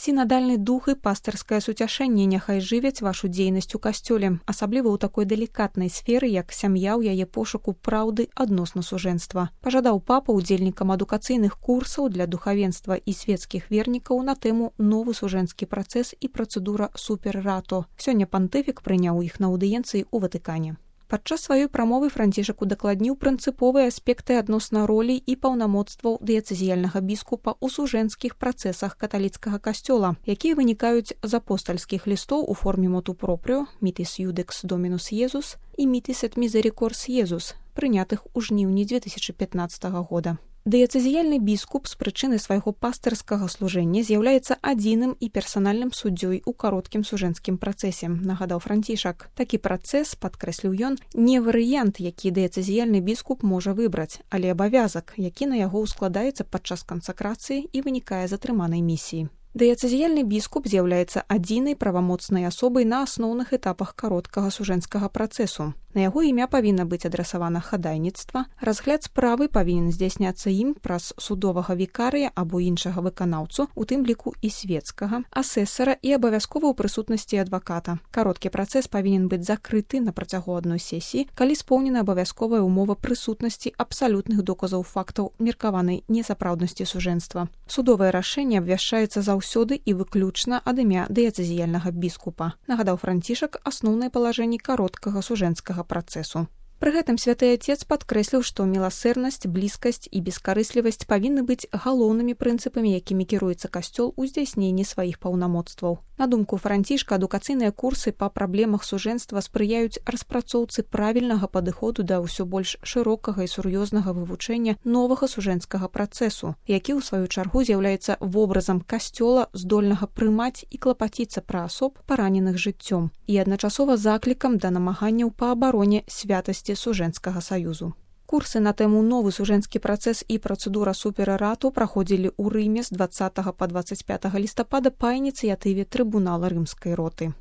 Сінадальны дух і пастырскае суцяшэнне няхай жывяць вашу дзейнасць у касцёле, асабліва ў такой далікатнай сферы, як сям'я ў яе пошуку праўды адносна сужэнства. Пажадаў папа удзельнікам адукацыйных курсаў для духавенства і свецкіх вернікаў на тэму «Новы сужэнскі працэс і працэдура супер рато». Сёння пантыфік прыняў іх на аўдыенцыі ў Ватыкане. Падчас сваёй прамовы Францішак удакладніў прынцыповыя аспекты адносна ролі і паўнамоцтваў дыяцэзіяльнага біскупа ў сужэнскіх працэсах каталіцкага касцёла, якія вынікаюць з апостальскіх лістоў у форме моту пропрыо «Mitis Judex Dominus Iesus» і «Mitis et Misericors Iesus», прынятых у жніўні 2015 года. Дыяцэзіяльны біскуп з прычыны свайго пастырскага служэння з'яўляецца адзіным і персанальным суддзёй у кароткім сужэнскім працэсе, нагадаў Францішак. Такі працэс, падкрэсліў ён, не варыянт, які дыяцэзіяльны біскуп можа выбраць, але абавязак, які на яго ўскладаецца падчас кансакрацыі і вынікае з атрыманай місіі. Дыяцэзіяльны біскуп з'яўляецца адзінай правамоцнай асобай на асноўных этапах кароткага сужэнскага працэсу. На яго імя павінна быць адрасавана хадайніцтва, разгляд справы павінен здзяйсняцца ім праз судовага вікарыя або іншага выканаўцу, у тым ліку і свецкага, асэсара і абавязкова ў прысутнасці адваката. Кароткі працэс павінен быць закрыты на працягу адной сесіі, калі споўнена абавязковая ўмова прысутнасці абсалютных доказаў фактаў меркаванай несапраўднасці сужэнства. Судовае рашэнне абвяшчаецца заўсёды і выключна ад імя дыяцэзіяльнага біскупа, нагадаў Францішак асноўныя палажэнні кароткага сужэнскага працэсу. Пры гэтым святы Отец падкрэсліў, што міласэрнасць, блізкасць і бескарыслівасць павінны быць галоўнымі прынцыпамі, якімі кіруецца касцёл у здзяйсненні сваіх паўнамоцтваў. На думку Францішка, адукацыйныя курсы па праблемах сужэнства спрыяюць распрацоўцы правільнага падыходу да ўсё больш шырокага і сур'ёзнага вывучэння новага сужэнскага працэсу, які ў сваю чаргу з'яўляецца вобразам касцёла, здольнага прымаць і клапаціцца пра асоб, параненых жыццём, і адначасова заклікам да намаганняў па абароне святасці сужэнскага саюзу. Курсы на тэму «Новы сужэнскі працэс і працэдура супер рато» праходзілі ў Рыме з 20 па 25 лістапада па ініцыятыве трыбунала рымскай роты.